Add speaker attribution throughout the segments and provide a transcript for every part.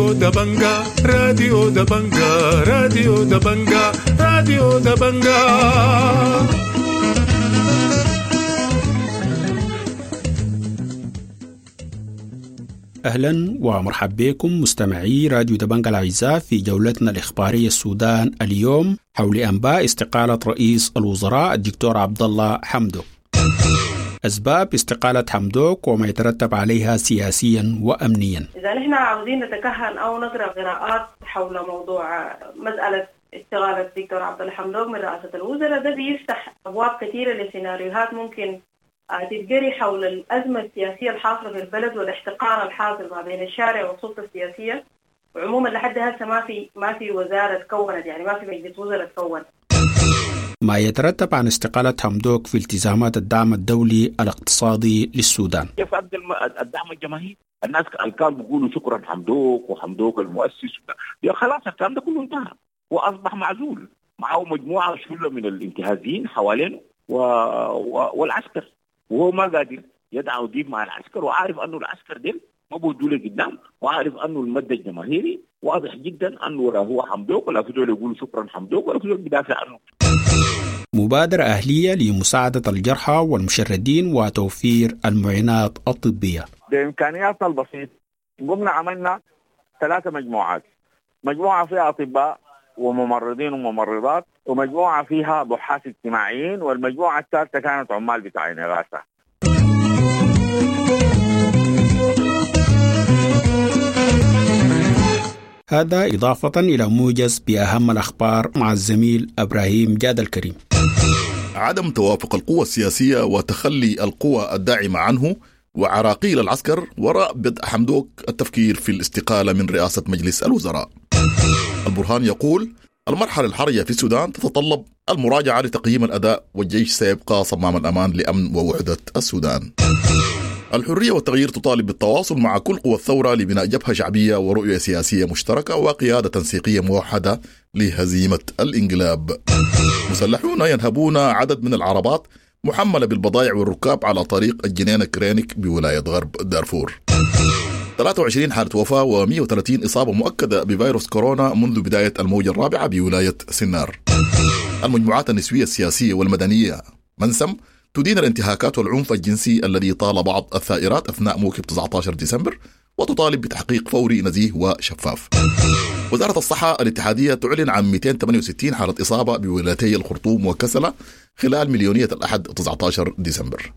Speaker 1: راديو دبنجا، راديو دبنجا، راديو دبنجا، راديو دبنجا.
Speaker 2: أهلا ومرحبا بكم مستمعي راديو دبنجا الأعزاء في جولتنا الإخبارية السودان اليوم حول أنباء استقالة رئيس الوزراء الدكتور عبد الله حمدوك. أسباب استقالة حمدوك وما يترتب عليها سياسيا وأمنيا.
Speaker 3: إذا نحن عاوزين نتكهن أو نقرأ قراءات حول موضوع مسألة استقالة الدكتور عبد الله حمدوك من رئاسة الوزراء، ده بيفتح أبواب كثيرة لسيناريوهات ممكن تتجري حول الأزمة السياسية الحاصلة في البلد والاحتقان الحاصل ما بين الشارع والسلطة السياسية. وعموما لحد هسه ما في وزارة تكونت، يعني ما في مجلس وزراء تكون.
Speaker 2: ما يترتب عن استقالة حمدوك في التزامات الدعم الدولي الاقتصادي للسودان.
Speaker 4: كيف أبدأ الدعم الجماهيري؟ الناس كانوا بيقولوا شكرا حمدوك وحمدوك المؤسس، يا خلاص الكلام ده كله انتهى واصبح معزول، معه مجموعة شله من الانتهازيين حوالينه والعسكر، وهو ما قادر يدعو ديب مع العسكر، وعارف انه العسكر ديل ما بودوا له قدام، وعارف انه المد الجماهيري واضح جدا انه لا هو حمدوك ولا في دول يقولوا شكرا حمدوك ولا في دول بيدافع عنه.
Speaker 2: مبادرة أهلية لمساعدة الجرحى والمشردين وتوفير المعينات الطبية.
Speaker 5: بإمكانياتنا البسيطة قمنا عملنا 3 مجموعات، مجموعة فيها أطباء وممرضين وممرضات، ومجموعة فيها بحاث اجتماعيين، والمجموعة الثالثة كانت عمال بتاعين إغاثة.
Speaker 2: هذا إضافة إلى موجز بأهم الأخبار مع الزميل إبراهيم جاد الكريم.
Speaker 6: عدم توافق القوى السياسية وتخلي القوى الداعمة عنه وعراقيل العسكر وراء بدء حمدوك التفكير في الاستقالة من رئاسة مجلس الوزراء. البرهان يقول المرحلة الحرجة في السودان تتطلب المراجعة لتقييم الأداء، والجيش سيبقى صمام الأمان لأمن ووحدة السودان. الحرية والتغيير تطالب بالتواصل مع كل قوى الثورة لبناء جبهة شعبية ورؤية سياسية مشتركة وقيادة تنسيقية موحدة لهزيمة الانقلاب. مسلحون ينهبون عدد من العربات محملة بالبضائع والركاب على طريق الجنينة كرينك بولاية غرب دارفور. 23 حالة وفاة و130 إصابة مؤكدة بفيروس كورونا منذ بداية الموجة الرابعة بولاية سنار. المجموعات النسوية السياسية والمدنية منسم تدين الانتهاكات والعنف الجنسي الذي طال بعض الثائرات أثناء موكب 19 ديسمبر وتطالب بتحقيق فوري نزيه وشفاف. وزارة الصحة الاتحادية تعلن عن 268 حالة إصابة بولايتي الخرطوم وكسلة خلال مليونية الأحد 19 ديسمبر.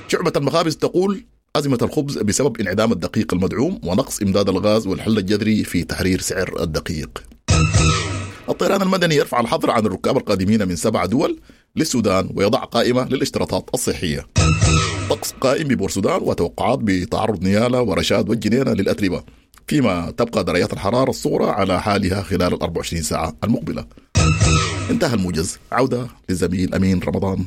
Speaker 6: شعبة المخابز تقول أزمة الخبز بسبب انعدام الدقيق المدعوم ونقص إمداد الغاز والحل الجذري في تحرير سعر الدقيق. الطيران المدني يرفع الحظر عن الركاب القادمين من 7 دول للسودان ويضع قائمة للاشتراطات الصحية. طقس قائم ببورسودان وتوقعات بتعرض نيالا ورشاد والجنينة للأتربة، فيما تبقى درجات الحرارة الصغرى على حالها خلال 24 ساعة المقبلة. انتهى الموجز، عودة للزميل أمين رمضان.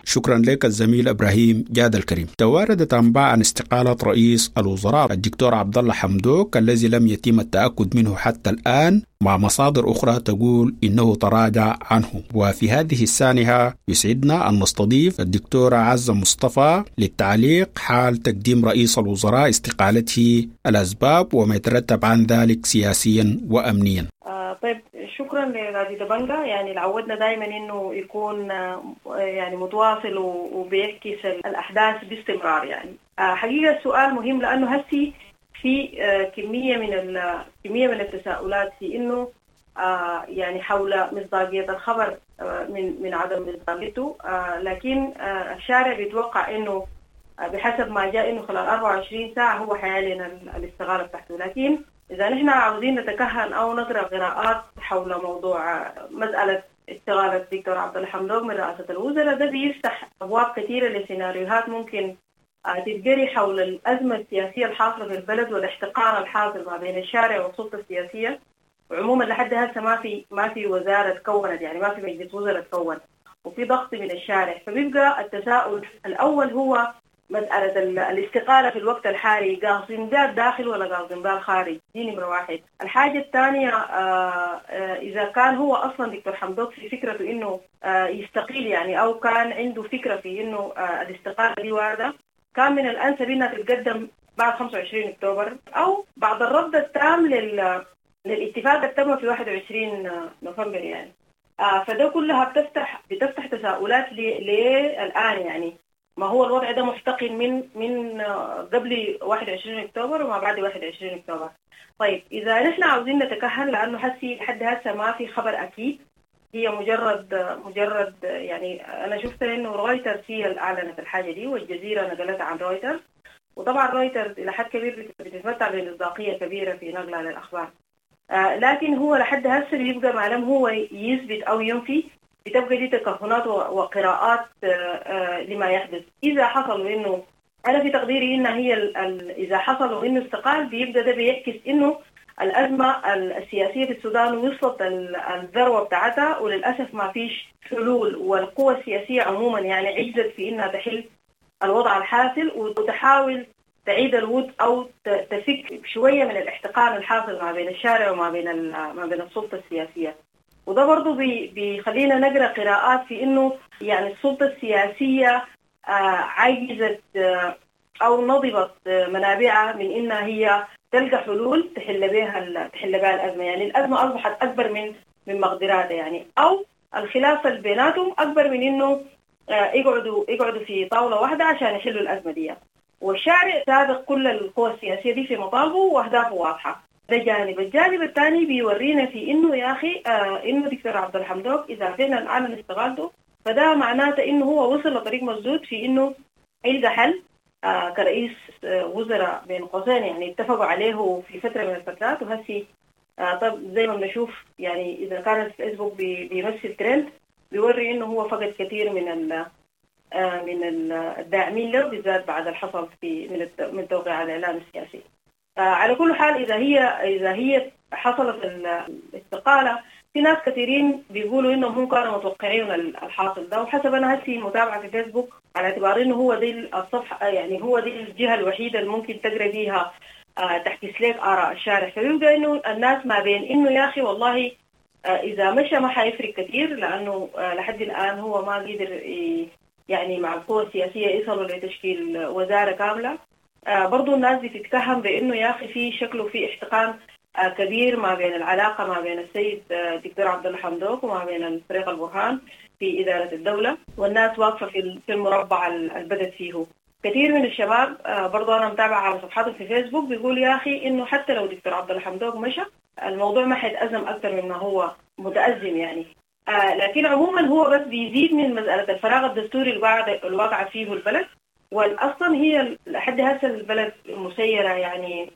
Speaker 2: شكرا لك الزميل إبراهيم جاد الكريم. تواردت أنباء عن استقالة رئيس الوزراء الدكتور عبد الله حمدوك الذي لم يتم التأكد منه حتى الآن، مع مصادر أخرى تقول إنه تراجع عنه. وفي هذه السانحة يسعدنا أن نستضيف الدكتورة عزة مصطفى للتعليق حال تقديم رئيس الوزراء استقالته، الأسباب وما يترتب عن ذلك سياسيا وأمنيا.
Speaker 3: طيب، شكرا لراديو دبنجا، يعني عودنا دائما انه يكون يعني متواصل وبيعكس الاحداث باستمرار. يعني حقيقه السؤال مهم لانه هسي في كميه من التساؤلات في انه يعني حول مصداقيه الخبر من عدم مصداقيته، لكن الشارع بيتوقع انه بحسب ما جاء انه خلال 24 ساعه هو حيعلن الاستقاله بتاعته. لكن إذا نحن عاوزين نتكهن أو نقرأ قراءات حول موضوع مسألة استقالة الدكتور عبد الله حمدوك من رئاسة الوزراء، ده بيفتح أبواب كثيرة لسيناريوهات ممكن تتجري حول الأزمة السياسية الحاصلة في البلد والاحتقان الحاصل ما بين الشارع والسلطة السياسية. وعموما لحد هسه ما في وزارة تكونت، يعني ما في مجلس وزراء تكون، وفي ضغط من الشارع. فبيبقى التساؤل الأول هو مسألة الاستقالة في الوقت الحالي قاصدين بها الداخل ولا قاصدين بها الخارج؟ دي نمرة واحد. الحاجة الثانية إذا كان هو أصلا دكتور حمدوك في فكرته إنه يستقيل يعني، أو كان عنده فكرة في إنه الاستقالة دي واردة، كان من الأنسب إنها تتقدم بعد 25 أكتوبر أو بعد الرفض التام للاتفاق اللي تم في 21 نوفمبر يعني. فده كلها بتفتح تساؤلات ليه الآن يعني. ما هو الوضع ده محتقن من قبل 21 أكتوبر وما بعد 21 أكتوبر. طيب إذا نحن عاوزين نتكهن، لأنه حسي لحد هسه ما في خبر أكيد، هي مجرد يعني أنا شفت إنه رويترز هي اللي أعلنت الحاجة دي، والجزيرة نقلتها عن رويترز، وطبعا رويترز إلى حد كبير بتتمتع بمصداقية كبيرة في نقلها للأخبار. لكن هو لحد هسه بيبقى ما لم هو يثبت أو ينفي، بتبقى دي تكهنات وقراءات لما يحدث. إذا حصل إنه أنا في تقديري إن هي إذا حصل إنه استقال، بيبدأ ده بيعكس إنه الأزمة السياسية في السودان وصلت الذروة بتاعتها، وللأسف ما فيش حلول، والقوى السياسية عموما يعني عجزت في إنها تحل الوضع الحاصل وتحاول تعيد الود أو تفك شوية من الاحتقان الحاصل ما بين الشارع وما بين ما بين السلطة السياسية. وده برضو بيخلينا نقرأ قراءات في إنه يعني السلطة السياسية عجزت أو نضبت منابعها من إنها هي تلقى حلول تحل بها الأزمة. يعني الأزمة أصبحت أكبر من مقدراتها يعني، أو الخلاف اللي بيناتهم أكبر من إنه يقعدوا في طاولة واحدة عشان يحلوا الأزمة دي. والشارع سابق كل القوى السياسية دي في مطالبه وأهدافه واضحة. ده جانب. الجانب الثاني بيورينا في إنه يا أخي إنه دكتور عبد الحمدوك إذا فعلا أعلن استقالته، فده معناته إنه هو وصل لطريق مسدود في إنه يلقى حل كرئيس وزراء بين قوسين يعني اتفقوا عليه في فترة من الفترات. وهسي طب زي ما بنشوف يعني إذا كان الفيسبوك بيمثل ترند بيوري إنه هو فقد كثير من الداعمين له، بالذات بعد الحصل في من توقيع الإعلام السياسي. على كل حال إذا هي حصلت الاستقالة، في ناس كثيرين بيقولوا إنهم هم كانوا متوقعين الحاصل ده، وحسب أنا هسي متابعة في فيسبوك على اعتبار إنه هو دي الصفحة يعني هو دي الجهة الوحيدة اللي ممكن تقرأ فيها تحكي لك آراء الشارع. فبيبقى إنه الناس ما بين إنه يا أخي والله إذا مشى ما حيفرق كثير، لأنه لحد الآن هو ما قدر يعني مع القوى السياسية يصلوا لتشكيل وزارة كاملة. برضو الناس بتتكهن بأنه يا أخي في شكله في احتقان كبير ما بين العلاقة ما بين السيد دكتور عبد الله حمدوك وما بين الفريق البرهان في إدارة الدولة، والناس واقفة في المربع اللي بدت فيه. كثير من الشباب برضو أنا متابعة على صفحاتهم في فيسبوك بيقول يا أخي إنه حتى لو دكتور عبد الله حمدوك مشى الموضوع ما حيتأزم أكثر مما هو متأزم يعني. لكن عموما هو بس بيزيد من مسألة الفراغ الدستوري الواقع فيه البلد، والأصلا هي لحد هسه البلد مسيرة يعني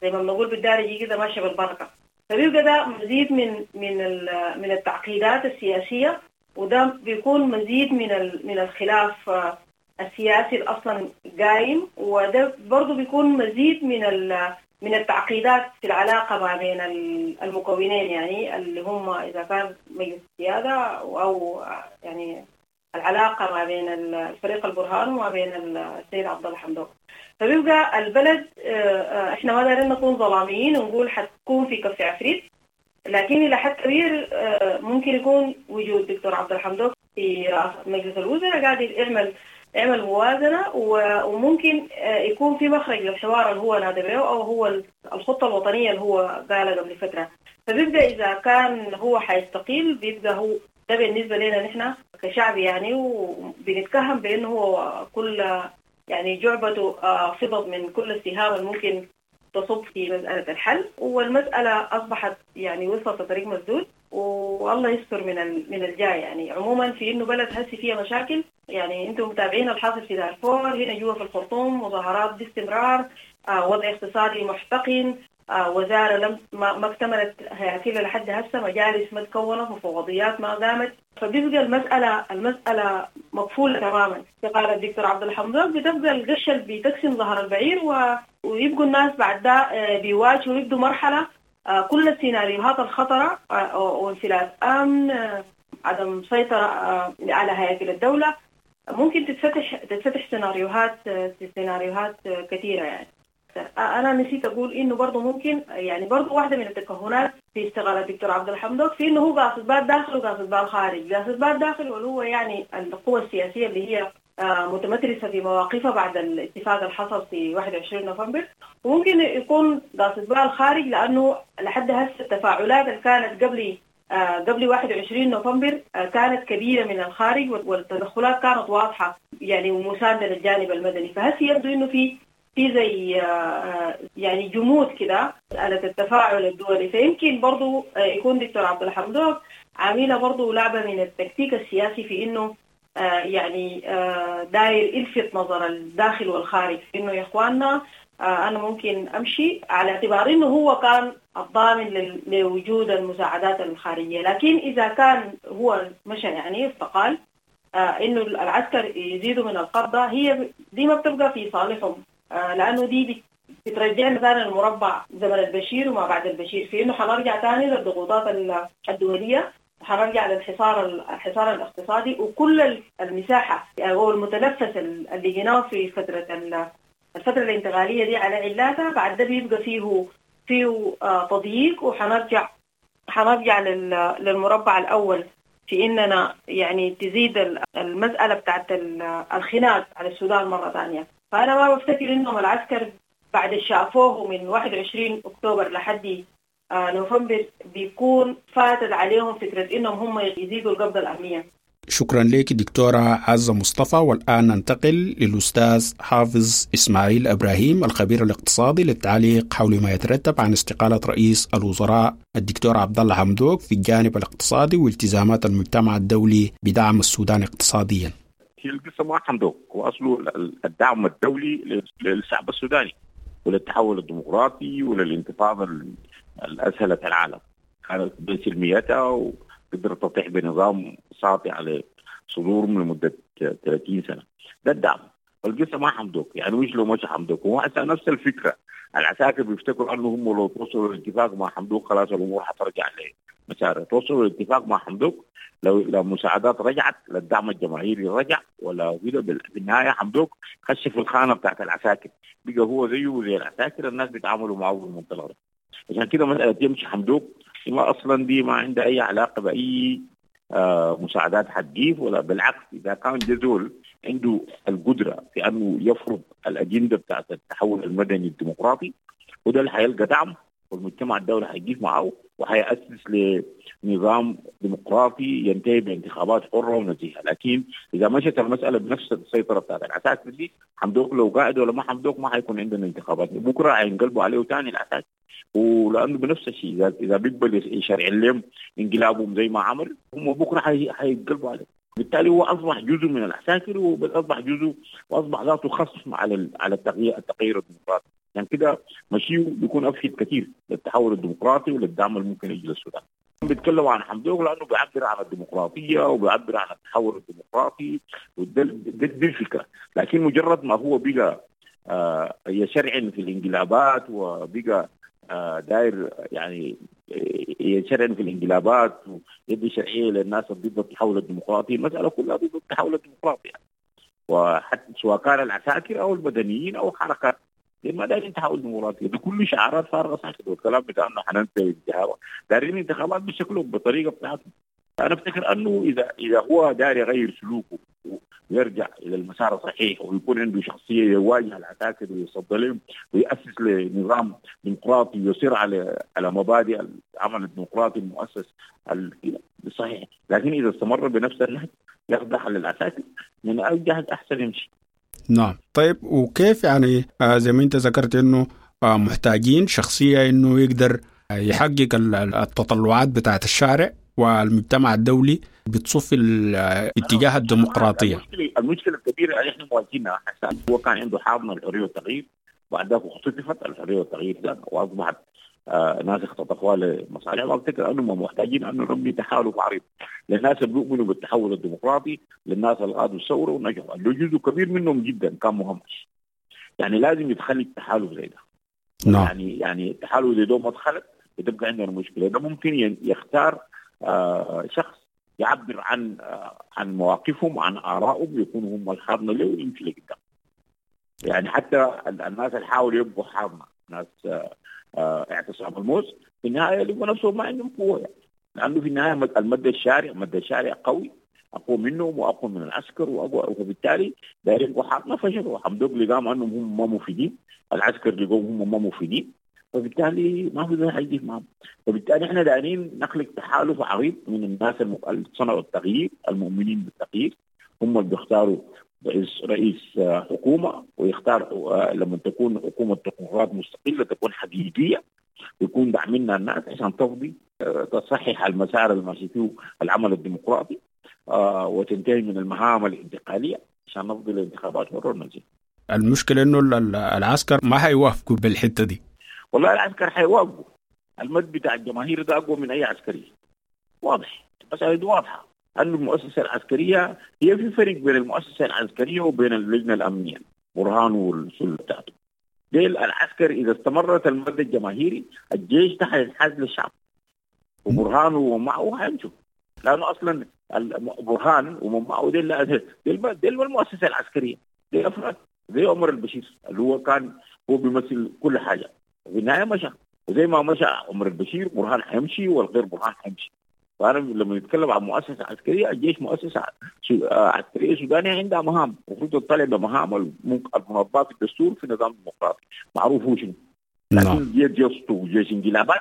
Speaker 3: زي ما بنقول بالدارجة كده ماشية بالبركة. فبيبقى ده مزيد من من من التعقيدات السياسية، وده بيكون مزيد من الخلاف السياسي اصلا قايم، وده برضه بيكون مزيد من التعقيدات في العلاقة ما بين المكونين يعني اللي هم إذا كان مجلس السيادة أو يعني العلاقة ما بين الفريق البرهان وما بين السيد عبد الله حمدوك. فبيبقى البلد احنا ما دارين نكون ظلاميين ونقول حتكون في كف عفريت، لكن إلى حد كبير ممكن يكون وجود دكتور عبد الله حمدوك في رئاسة مجلس الوزراء قاعد يعمل موازنة، وممكن يكون في مخرج للحوار اللي هو نادى به أو هو الخطة الوطنية اللي هو قالها قبل فترة. فبيبقى إذا كان هو حيستقيل بيبقى هو ده بالنسبة لنا نحن كشعب يعني، وبنتكهن بأنه هو كل يعني جعبته فضت من كل السهام الممكن تصب في مسألة الحل، والمسألة أصبحت يعني وصلت لطريق مسدود، والله يستر من الجاي يعني. عموما في إنه بلد هسي فيها مشاكل يعني، أنتم متابعين الحاصل في دارفور، هنا جوا في الخرطوم مظاهرات باستمرار، وضع اقتصادي محتقن، وزارة لم ما اكتملت هياكلها لحد هسه، مجالس ما تكونت، مفوضيات ما قامت. فبيبقى المسألة مقفولة تماما. استقالة الدكتور عبد الحمدوك بتبقى القشة اللي بتقسم ظهر البعير، ويبقوا الناس بعد ده بيواجهوا ويبدوا مرحلة كل السيناريوهات الخطرة، وانفلات أمن، عدم سيطرة على هياكل الدولة. ممكن تتفتح سيناريوهات كثيرة يعني. أنا نسيت أقول إنه برضه ممكن يعني برضه واحدة من التكهنات في استقالة الدكتور عبد الله حمدوك في إنه هو قاصد بال داخل وقاصد بال خارج. قاصد بال داخل واللي هو يعني القوى السياسية اللي هي متمترسة في مواقفها بعد الاتفاق اللي حصل في 21 نوفمبر، وممكن يكون قاصد بال خارج لأنه لحد هسه التفاعلات اللي كانت قبل 21 نوفمبر كانت كبيرة من الخارج، والتدخلات كانت واضحة يعني ومساندة للجانب المدني. فهسه يبدو إنه في زي يعني جمود كده على التفاعل الدولي. فيمكن برضو يكون دكتور عبد الله حمدوك عاملة برضو لعبة من التكتيك السياسي في إنه يعني داير يلفت نظر الداخل والخارج في إنه يا إخواننا أنا ممكن أمشي، على اعتبار إنه هو كان الضامن لوجود المساعدات الخارجية. لكن إذا كان هو مشى يعني استقال، إنه العسكر يزيدوا من القبضة، هي دي ما بتبقى في صالحهم، لأنه دي بترجعنا ثاني المربع زمن البشير وما بعد البشير، في إنه حنرجع ثاني للضغوطات الدولية، حنرجع للحصار الحصار الاقتصادي، وكل المساحة أو المتنفس اللي جيناه في الفترة الانتقالية دي على علاتها بعد ده بيبقى فيه تضييق، وحنرجع للمربع الأول في إننا يعني تزيد المسألة بتاعت الخناق على السودان مرة ثانية. فأنا ما بفتكر إنهم العسكر بعد شافوه من 21 أكتوبر لحد نوفمبر بيكون فاتت عليهم فكرة إنهم هم يزيدوا القبضة الأمنية.
Speaker 2: شكرا لك دكتورة عزة مصطفى. والآن ننتقل للأستاذ حافظ إسماعيل إبراهيم الخبير الاقتصادي للتعليق حول ما يترتب عن استقالة رئيس الوزراء الدكتور عبد الله حمدوك في الجانب الاقتصادي والتزامات المجتمع الدولي بدعم السودان اقتصاديا.
Speaker 4: هي القصة ما حمدوك، هو أصله الدعم الدولي للشعب السوداني وللتحول الديمقراطي وللانتفاضة الأسهلت العالم، كانت بسلميتها وقدرت تطيح بنظام ساطع على صدورهم لمدة 30 سنة. ده الدعم. والقصة ما حمدوك، يعني مش لو مش حمدوك، هو نفس الفكرة. العساكر بيفتكروا أنه هم لو توصلوا لاتفاق مع حمدوك خلاص الأمور حترجع لمسارها. توصلوا لاتفاق مع حمدوك لو مساعدات رجعت، للدعم الجماهيري رجع، ولا كده بالنهاية حمدوك خش في الخانة بتاعت العساكر، بقى هو زيه زي العساكر، الناس بيتعاملوا معه بالمنطلق ده. عشان كده مسألة يمشي حمدوك ما أصلا دي ما عندها أي علاقة بأي مساعدات حتجيب، ولا بالعكس إذا كان جزول عنده القدرة في أنه يفرض الأجندة بتاعت التحول المدني الديمقراطي، وده اللي حيلقى دعم والمجتمع الدولي حيجيب معه وحيأسس لنظام ديمقراطي ينتهي بانتخابات حرة ونزيهة. لكن إذا مشت المسألة بنفس السيطرة بتاعت العساكر دي، حمدوك لو قاعد ولا ما حمدوك ما حيكون عندنا انتخابات، بكرة حينقلبوا عليه تاني العساكر، ولأنه بنفس الشيء إذا بيقبل يشرع لهم انقلابهم زي ما عمل هم بكرة حينقلبوا عليه. بالتالي هو أصبح جزء من العساكر، وأصبح جزء وأصبح ذاته خصم على التغيير الديمقراطي. يعني كده مشيه بيكون أفيد كثير للتحول الديمقراطي وللدعم اللي ممكن يجي للسودان. بيتكلموا عن حمدوك لأنه بيعبر عن الديمقراطية وبيعبر عن التحول الديمقراطي، ودي الفكرة. لكن مجرد ما هو بقى يشرعن في الانقلابات وبقى داير يعني يشرعن في الانقلابات ويدي شرعية للناس ضد التحول الديمقراطي، المسألة كلها ضد التحول الديمقراطي يعني. وحتى سواء كان العساكر أو المدنيين أو حركات ما دايرين تحول ديمقراطي، ده كل شعارات فارغة ساكت. والكلام بتاع انه حننتهي انتخابات، دايرين انتخابات بشكلهم بطريقة بتاعتهم. انا افتكر انه اذا هو داير يغير سلوكه ويرجع الى المسار الصحيح ويكون عنده شخصية يواجه العساكر ويصد لهم ويأسس لنظام ديمقراطي ويصير على مبادئ العمل الديمقراطي المؤسس الصحيح. لكن اذا استمر بنفس النهج يخضع للعساكر، من اي احسن يمشي.
Speaker 2: نعم. طيب وكيف يعني زي ما انت ذكرت انه محتاجين شخصية انه يقدر يحقق التطلعات بتاعت الشارع والمجتمع الدولي بتصف الاتجاه الديمقراطية.
Speaker 4: المشكلة الكبيرة اللي احنا مواجهينها حسن، هو كان عنده حاضنة الحرية والتغيير، بعد ذاك اختطفت الحرية والتغيير ده واصبحت ناس اختطفوها لمصالحهم. افتكر انهم محتاجين انه نبني تحالف عريض للناس اللي بيؤمنوا بالتحول الديمقراطي، للناس اللي قادوا الثورة ونجحوا، اللي جزء كبير منهم جدا كان مهمش. يعني لازم يتخلق تحالف زي ده. نعم. يعني التحالف زي ده ما اتخلق بتبقى عندنا مشكلة. ده ممكن يختار شخص يعبر عن مواقفهم وعن آرائهم، يكونوا هم الحاضنة له ويمشي لقدام. يعني حتى الناس اللي حاولوا يبقوا حاضنة، ناس اعتصام الموز، في النهاية لقوا نفسهم ما عندهم قوة يعني. لأنه في النهاية المد الشارع، مد الشارع قوي، أقوى منهم وأقوى من العسكر وأقوى، وبالتالي دايرين يبقوا حاضنة فشلوا. حمدوك لقاهم أنهم هم ما مفيدين، العسكر لقوهم هم ما مفيدين، فبالتالي ما في زول حيجي معهم. فبالتالي احنا دايرين نخلق تحالف عريض من الناس اللي صنعوا التغيير، المؤمنين بالتغيير، هم اللي بيختاروا رئيس حكومة، ويختار لما تكون حكومة تكنوقراط مستقلة تكون حقيقية، يكون داعمينها الناس عشان تفضي تصحح المسار الماشي فيه العمل الديمقراطي، وتنتهي من المهام الانتقالية عشان نفضي الانتخابات مرة ونزيد.
Speaker 2: المشكلة انه العسكر ما حيوافقوا بالحتة دي.
Speaker 4: والله العسكر حيوافقوا، المد بتاع الجماهير ده اقوى من اي عسكري، واضح، المسألة دي واضحة. أن المؤسسة العسكرية هي في فرق بين المؤسسة العسكرية وبين اللجنة الأمنية، برهان والسلة بتاعته. ديل العسكر إذا استمرت المد الجماهيري الجيش ده حينحاز للشعب، وبرهان ومعه حيمشوا، لأنه أصلا برهان ومعه ديل المؤسسة العسكرية، ديل أفراد زي عمر البشير اللي هو كان هو بيمثل كل حاجة، في النهاية مشى، وزي ما مشى عمر البشير برهان حيمشي والغير برهان حيمشي. فأنا لما نتكلم عن مؤسسة عسكرية، الجيش مؤسسة عسكرية سودانية عندها مهام، المفروض تطلع بمهام المنظمات الدستور في نظام ديمقراطي معروف هو شنو. لكن جيش وجيش انقلابات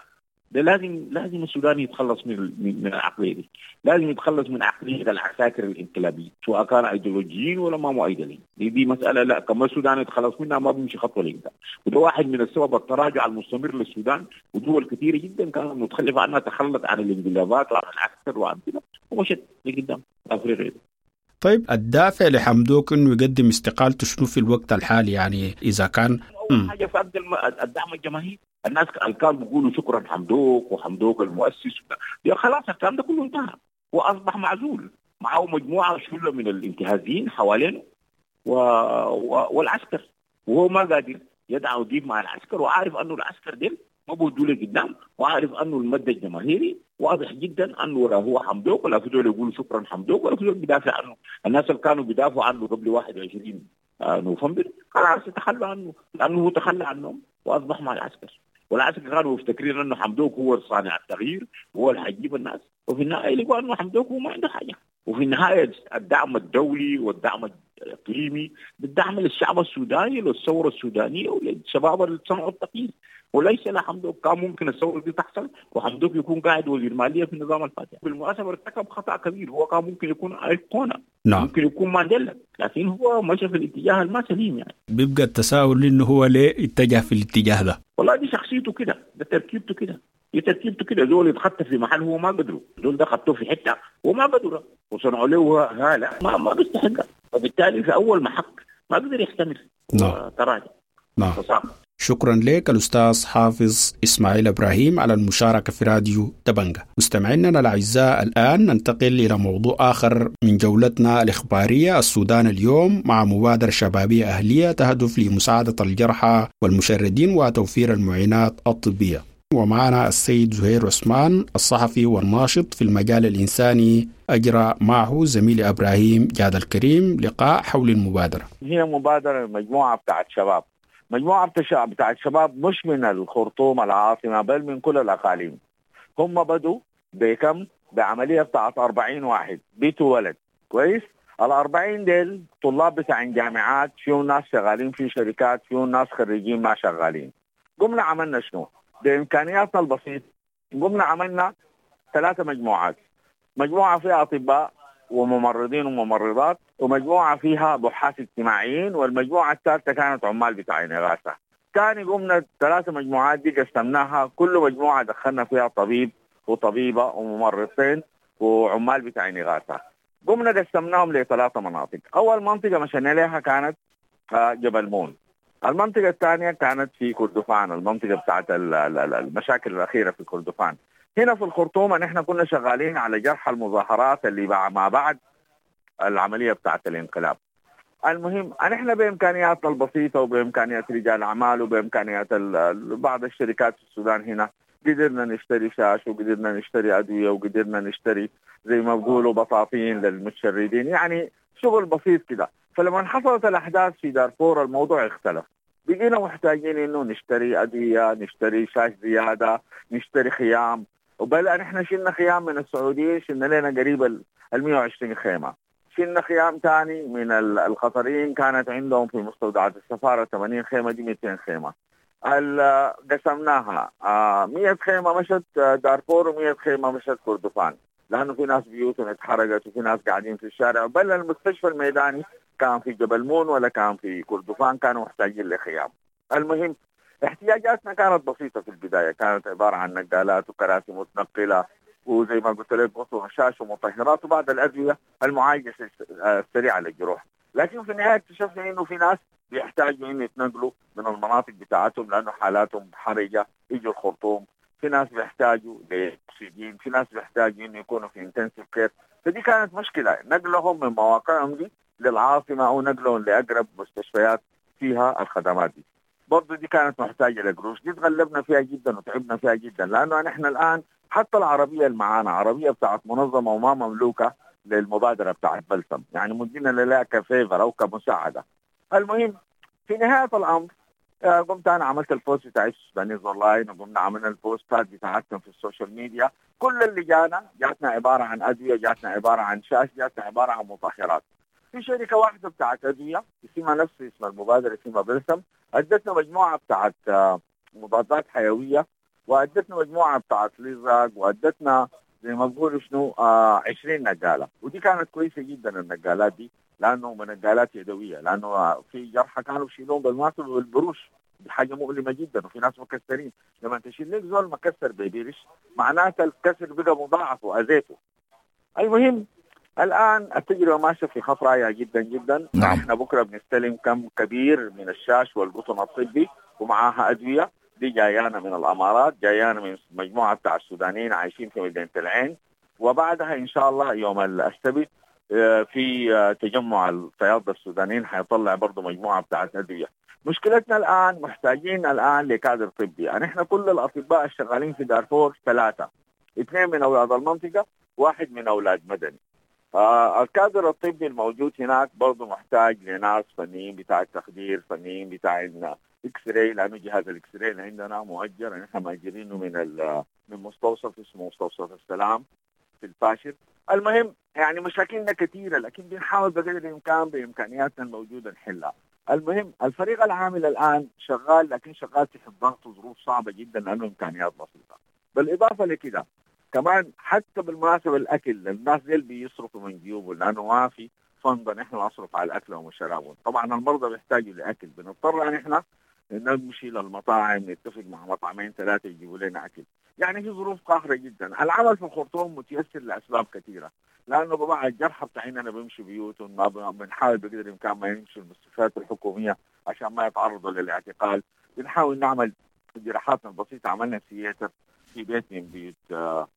Speaker 4: ده لازم السوداني يتخلص من العقلية دي، لازم يتخلص من عقلية العساكر الانقلابيين، سواء كان ايديولوجيين ولا ما ايديولوجيين. دي مسألة لا كما السودان يتخلص منها ما بيمشي خطوة لقدام، وده واحد من السبب التراجع المستمر للسودان، ودول كثيرة جدا كانت متخلفة عنها تخلت عن الانقلابات وعن العسكر وعن كده ومشت لقدام افريقيا.
Speaker 2: طيب الدافع لحمدوك انه يقدم استقالته شنو في الوقت الحالي؟ يعني اذا كان
Speaker 4: اول حاجة فقد الدعم الجماهيري، الناس اللي كانوا بيقولوا شكرا حمدوك وحمدوك المؤسس، يا خلاص الكلام ده كله انتهى، واصبح معزول، معه مجموعة شله من الانتهازيين حوالينه والعسكر، وهو ما قادر يدعو يجيب مع العسكر، وعارف انه العسكر ديل ما بودوا له قدام، وعارف انه المد الجماهيري واضح جدا انه ولا هو حمدوك ولا في دول يقولوا شكرا حمدوك ولا في دول بيدافع عنه. الناس اللي كانوا بيدافعوا عنه قبل 21 نوفمبر خلاص تخلوا عنه، لانه هو تخلى عنهم واصبح مع العسكر، والعسكر كانوا مفتكرين انه حمدوك هو صانع التغيير وهو اللي حيجيب الناس، وفي النهاية لقوا انه حمدوك هو ما عنده حاجة. وفي النهاية الدعم الدولي والدعم الاقليمي بالدعم للشعب السوداني للثورة السودانية وللشباب اللي صنعوا التغيير، وليس لحمدوك. كان ممكن الثورة دي تحصل وحمدوك يكون قاعد وزير ماليه في النظام الفاتح. بالمناسبة ارتكب خطا كبير، هو كان ممكن يكون ايقونة، نعم، ممكن يكون مانديلا، لكن هو مشى في الاتجاه الما سليم. يعني
Speaker 2: بيبقى التساؤل انه هو ليه اتجه في الاتجاه ده؟
Speaker 4: والله دي شخصيته كده، ده تركيبته كده، دي تركيبته كده. زول يتخطى في محل هو ما قدره، زول ده خطوة في حتة هو ما قدره، وصنعوا له هاله ما بيستحقها، فبالتالي في اول محك ما قدر يحتمل، نعم، تراجع،
Speaker 2: نعم. شكرا لك الأستاذ حافظ إسماعيل إبراهيم على المشاركة في راديو دبنجة. مستمعينا الأعزاء، الآن ننتقل إلى موضوع آخر من جولتنا الإخبارية، السودان اليوم، مع مبادرة شبابية أهلية تهدف لمساعدة الجرحى والمشردين وتوفير المعينات الطبية. ومعنا السيد زهير عثمان الصحفي والناشط في المجال الإنساني، أجرى معه زميلي إبراهيم جاد الكريم لقاء حول المبادرة.
Speaker 5: هي مبادرة مجموعة بتاعت شباب، مجموعة بتاعت شباب مش من الخرطوم العاصمة بل من كل الأقاليم. هم بدوا بكم؟ بعملية بتاعت 40 واحد بيت ولد، كويس؟ ال40 ديل طلاب بتاع جامعات، فيهم ناس شغالين في شركات، فيهم ناس خريجين ما شغالين. قمنا عملنا شنو؟ بإمكانياتنا البسيطة قمنا عملنا 3 مجموعات، مجموعة فيها أطباء وممرضين وممرضات، ومجموعة فيها بحاث اجتماعيين، والمجموعة الثالثة كانت عمال بتاعين إغاثة. ثاني قمنا 3 مجموعات دي قسمناها، كل مجموعة دخلنا فيها طبيب وطبيبة وممرضتين وعمال بتاعين إغاثة. قمنا قسمناهم ل3 مناطق. أول منطقة مشينا لها كانت جبل مون، المنطقة الثانية كانت في كردفان، المنطقة بتاعت المشاكل الأخيرة في كردفان. هنا في الخرطوم نحن كنا شغالين على جرح المظاهرات اللي ما بعد العملية بتاعت الانقلاب. المهم نحن بإمكانياتنا البسيطة وبإمكانيات رجال أعمال وبإمكانيات بعض الشركات في السودان هنا قدرنا نشتري شاش وقدرنا نشتري ادوية وقدرنا نشتري زي ما بقولوا بطاطين للمتشردين، يعني شغل بسيط كده. فلما حصلت الاحداث في دارفور الموضوع اختلف، بقينا محتاجين انه نشتري ادوية، نشتري شاش زيادة، نشتري خيام، وبل نحن شلنا خيام من السعوديين، شلنا لنا قريب ال 120 خيمة. شلنا خيام ثاني من القطريين، كانت عندهم في مستودعات السفارة 80 خيمة، دي 200 خيمة. قسمناها 100 خيمة مشت دارفور و100 خيمة مشت كردفان، لانه في ناس بيوتهم اتحرقت وفي ناس قاعدين في الشارع. بل المستشفى الميداني كان في جبل مون ولا كان في كردفان، كانوا محتاجين لخيام. المهم احتياجاتنا كانت بسيطة في البداية، كانت عبارة عن نقالات وكراسي متنقله وزي ما قلت لك وشاش ومطهرات وبعض الادوية المعالجة السريعة للجروح. لكن في النهاية اكتشفنا انه في ناس بيحتاجوا انه يتنقلوا من المناطق بتاعتهم لانه حالاتهم حرجه، يجوا الخرطوم. في ناس بيحتاجوا لاكسجين، في ناس بيحتاجوا انه يكونوا في intensive care. فدي كانت مشكلة، نقلهم من مواقعهم دي للعاصمه او نقلهم لاقرب مستشفيات فيها الخدمات دي. برضه دي كانت محتاجه لقروش، دي تغلبنا فيها جدا وتعبنا فيها جدا، لانه نحن الان حتى العربية اللي معانا عربية بتاعت منظمة وما مملوكة للمبادره بتاعت بلسم، يعني مدينا لها ك favor او كمساعده. المهم في نهاية الامر قمت انا عملت ال post بتاع Sudanese Online، وقمنا عملنا البوستات بتاعتنا في ال social media. كل اللي جانا جاتنا عبارة عن ادوية، جاتنا عبارة عن شاش، جاتنا عبارة عن مطهرات. في شركة واحدة بتاعت ادوية اسمها نفس اسم المبادرة، اسمها بلسم، ادتنا مجموعة بتاعت مضادات حيوية، وادتنا مجموعة بتاعت لزق، وادتنا زي ما بقولوا شنو 20 نقاله، ودي كانت كويسة جدا النقالات دي، لانه نقالات يدوية، لانه في جرحى كانوا بيشيلوهم بالماطل والبروش، دي حاجة مؤلمة جدا، وفي ناس مكسرين. لما تشيل لك زول مكسر ببيرش معناته الكسر بقى مضاعف واذيته. المهم الان التجربة ماشية في خط رائع جدا جدا.
Speaker 6: نعم.
Speaker 5: احنا بكره بنستلم كم كبير من الشاش والقطن الطبي ومعاها ادوية، دي جايانا من الامارات، جايانا من مجموعة بتاع السودانيين عايشين في مدينة العين. وبعدها ان شاء الله يوم السبت في تجمع الصيادله السودانيين حيطلع برضه مجموعة بتاعت ادوية. مشكلتنا الان محتاجين الان لكادر طبي، يعني احنا كل الاطباء الشغالين في دارفور 3، 2 من اولاد المنطقة، 1 من اولاد مدني. الكادر الطبي الموجود هناك برضه محتاج لناس فنيين بتاع التخدير، فنيين بتاع X-ray، لانه جهاز ال X-ray اللي عندنا مؤجر، نحن مأجرينه من مستوصف اسمه مستوصف السلام في الفاشر. المهم يعني مشاكلنا كثيرة، لكن بنحاول بقدر الامكان بامكانياتنا الموجودة نحلها. المهم الفريق العامل الان شغال، لكن شغال تحت ضغط وظروف صعبة جدا لانه امكانيات بسيطة. بالاضافة لكده كمان حتى بالمناسبة الاكل، الناس دي بيصرفوا من جيوبهم لانه ما في فند نحن نصرف على الاكل وشرابهم. طبعا المرضى بيحتاجوا لاكل، بنضطر نحن نمشي للمطاعم، نتفق مع مطعمين 3 يجيبوا لنا اكل. يعني في ظروف قاهرة جدا. العمل في الخرطوم متيسر لاسباب كثيرة، لانه بضاعة الجرحى بتاعنا بيمشوا بيوتهم، ما بنحاول بقدر الامكان ما يمشوا المستشفيات الحكومية عشان ما يتعرضوا للاعتقال. بنحاول نعمل جراحاتنا البسيطة، عملنا theater في بيت من بيوت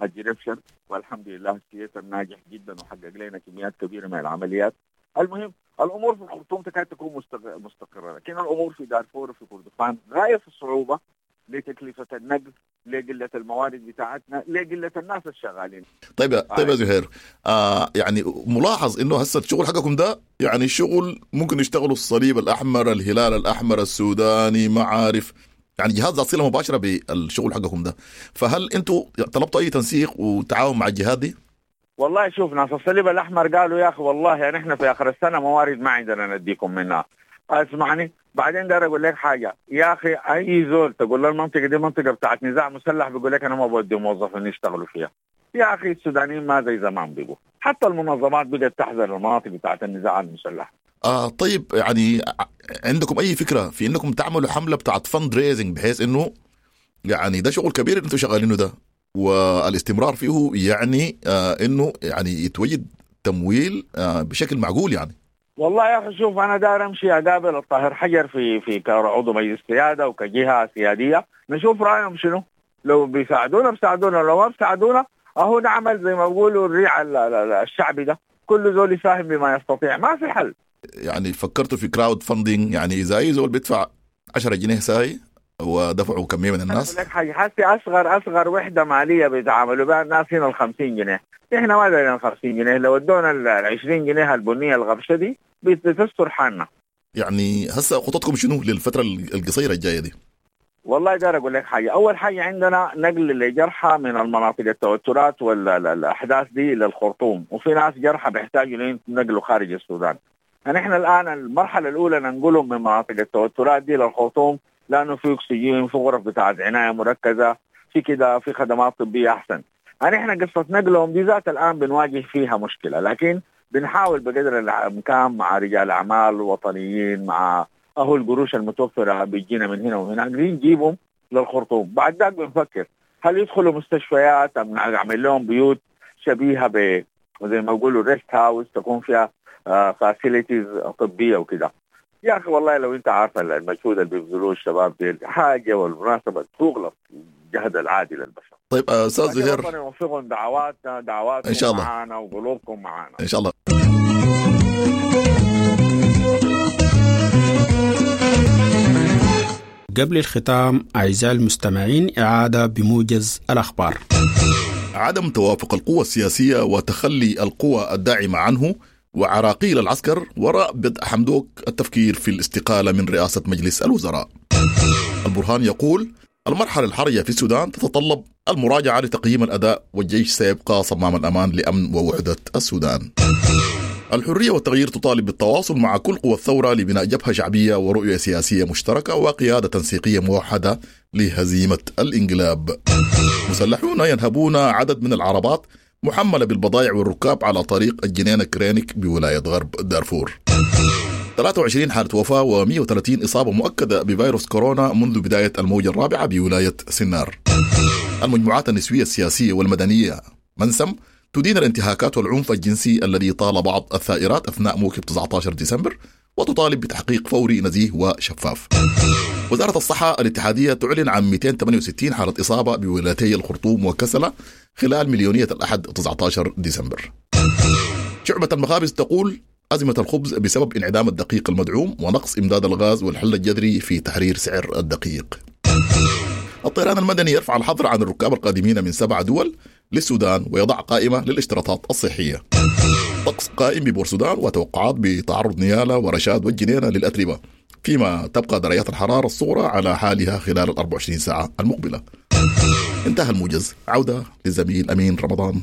Speaker 5: الجريفشن، والحمد لله ال theater ناجح جدا وحقق لنا كميات كبيرة من العمليات. المهم الامور في الخرطوم تكاد تكون مستقره، لكن الامور في دارفور وفي كردفان غاية في الصعوبة لتكلفه النقل، لقلة الموارد بتاعتنا، لقلة الناس الشغالين.
Speaker 6: طيب يا زهير، يعني ملاحظ انه هسه الشغل حقكم ده يعني شغل ممكن يشتغلوا الصليب الاحمر، الهلال الاحمر السوداني، ما عارف، يعني جهات ذات صله مباشرة بالشغل حقكم ده، فهل انتم طلبتوا اي تنسيق وتعاون مع الجهات دي؟
Speaker 5: والله شوف، ناس الصليب الاحمر قالوا يا اخي والله يعني احنا في اخر السنة موارد ما عندنا نديكم منها. اسمعني، بعدين داير اقول لك حاجة يا اخي، اي زول تقول له المنطقة دي منطقة بتاعت نزاع مسلح بيقول لك انا ما بودي موظفين يشتغلوا فيها. يا اخي السودانيين ما زي زمان بيقوا، حتى المنظمات بدات تحذر المناطق بتاعت النزاع المسلح.
Speaker 6: طيب يعني عندكم اي فكرة في انكم تعملوا حمله بتاعت fundraising بحيث انه يعني ده شغل كبير انتم شغالينه ده، والاستمرار فيه يعني انه يعني يتوجد تمويل بشكل معقول يعني؟
Speaker 5: والله يا اخي شوف، انا داير امشي اقابل الطاهر حجر في كعضو مجلس سيادة وكجهه سيادية، نشوف رايهم شنو. لو بيساعدونا بيساعدونا، لو ما بيساعدونا اهو نعمل زي ما بيقولوا الريع الشعبي ده، كل زول يساهم بما يستطيع، ما في حل.
Speaker 6: يعني فكرتوا في crowdfunding؟ يعني اذا اي زول بيدفع 10 جنيه ساي ودفعوا كمية من الناس.
Speaker 5: لك حاجة، حسي اصغر وحده ماليه بيتعاملوا بها الناس هنا ال 50 جنيه، احنا ما دايرين 50 جنيه، لو ادونا ال 20 جنيه البنية الغبشه دي بتستر حالنا.
Speaker 6: يعني هسه خططكم شنو للفترة القصيرة الجاية دي؟
Speaker 5: والله داير اقول لك حاجة، اول حاجة عندنا نقل لجرحى من المناطق التوترات والاحداث دي للخرطوم، وفي ناس جرحى بيحتاجوا نقلوا خارج السودان. نحن الان المرحلة الاولى ننقلهم من مناطق التوترات دي للخرطوم، لانه في اكسجين، في غرف بتاعت عناية مركزه، في كده، في خدمات طبية احسن. نحن قصة نقلهم دي ذات الان بنواجه فيها مشكلة، لكن بنحاول بقدر الامكان مع رجال اعمال وطنيين، مع اهو القروش المتوفرة بيجينا من هنا ومن هناك نجيبهم للخرطوم. بعد ذاك بنفكر هل يدخلوا مستشفيات ام نعمل لهم بيوت شبيهه ب زي ما يقولوا rest house تكون فيها facilities طبية وكده. يا اخي والله لو انت عارف المجهود اللي بيبذلوه الشباب دي حاجة، والمناسبة تغلط الجهد العادي للبشر.
Speaker 6: طيب استاذ زهير،
Speaker 5: ربنا يوفقهم، دعواتنا دعواتكم
Speaker 6: ان شاء الله
Speaker 5: معانا وقلوبكم معانا
Speaker 6: ان شاء الله.
Speaker 2: قبل الختام أعزائي المستمعين إعادة بموجز الأخبار.
Speaker 6: عدم توافق القوى السياسية وتخلي القوى الداعمة عنه وعراقيل العسكر وراء بدء حمدوك التفكير في الاستقالة من رئاسة مجلس الوزراء. البرهان يقول المرحلة الحرجة في السودان تتطلب المراجعة لتقييم الأداء، والجيش سيبقى صمام الأمان لأمن ووحدة السودان. الحرية والتغيير تطالب بالتواصل مع كل قوى الثورة لبناء جبهة شعبية ورؤية سياسية مشتركة وقيادة تنسيقية موحدة لهزيمة الانقلاب. مسلحون ينهبون عدد من العربات محملة بالبضائع والركاب على طريق الجنينة كرينك بولاية غرب دارفور. 23 حالة وفاة و130 إصابة مؤكدة بفيروس كورونا منذ بداية الموجة الرابعة بولاية سنار. المجموعات النسوية السياسية والمدنية منسم تدين الانتهاكات والعنف الجنسي الذي طال بعض الثائرات أثناء موكب 19 ديسمبر، وتطالب بتحقيق فوري نزيه وشفاف. وزارة الصحة الاتحادية تعلن عن 268 حالة إصابة بولايتي الخرطوم وكسلة خلال مليونية الأحد 19 ديسمبر. شعبة المخابز تقول أزمة الخبز بسبب انعدام الدقيق المدعوم ونقص إمداد الغاز والحل الجذري في تحرير سعر الدقيق. الطيران المدني يرفع الحظر عن الركاب القادمين من 7 دول للسودان ويضع قائمة للاشتراطات الصحية. طقس قائم ببورسودان وتوقعات بتعرض نيالا ورشاد والجنينة للأتربة، فيما تبقى درجات الحرارة الصغرى على حالها خلال 24 ساعة المقبلة. انتهى الموجز، عودة للزميل أمين رمضان.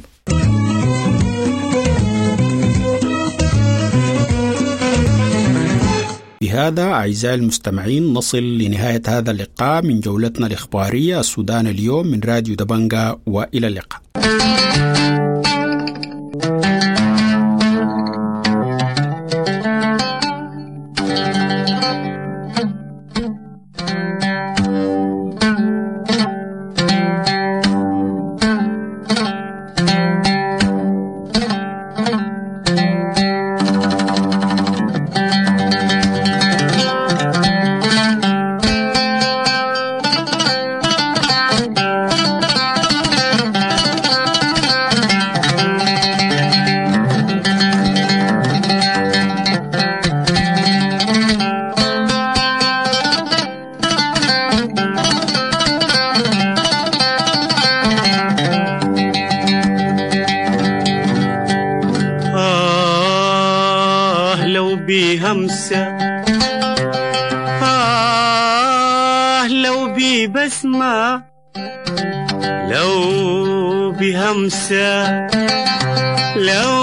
Speaker 2: بهذا أعزائي المستمعين نصل لنهاية هذا اللقاء من جولتنا الإخبارية السودان اليوم من راديو دبنجا، وإلى اللقاء.
Speaker 7: بهمسة، لو ببسمة، لو بهمسة، لو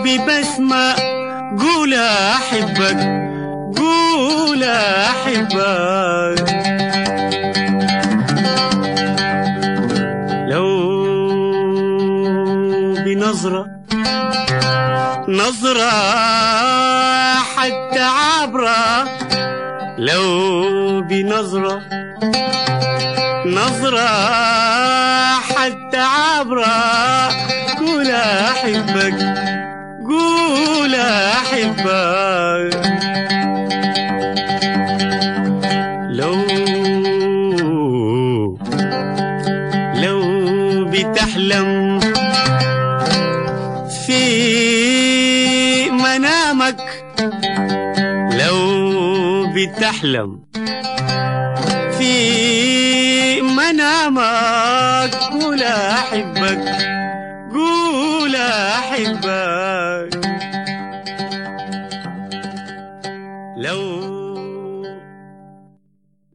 Speaker 7: ببسمة، قول أحبك، قول أحبك. لو بنظرة، نظرة حتى عبرة، لو بنظرة، نظرة حتى عبرة، قول أحبك، قول أحبك. لو بتحلم في منامك، لو بتحلم سلامك، قول أحبك، قول أحبك.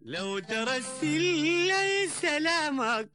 Speaker 7: لو ترسل لي سلامك.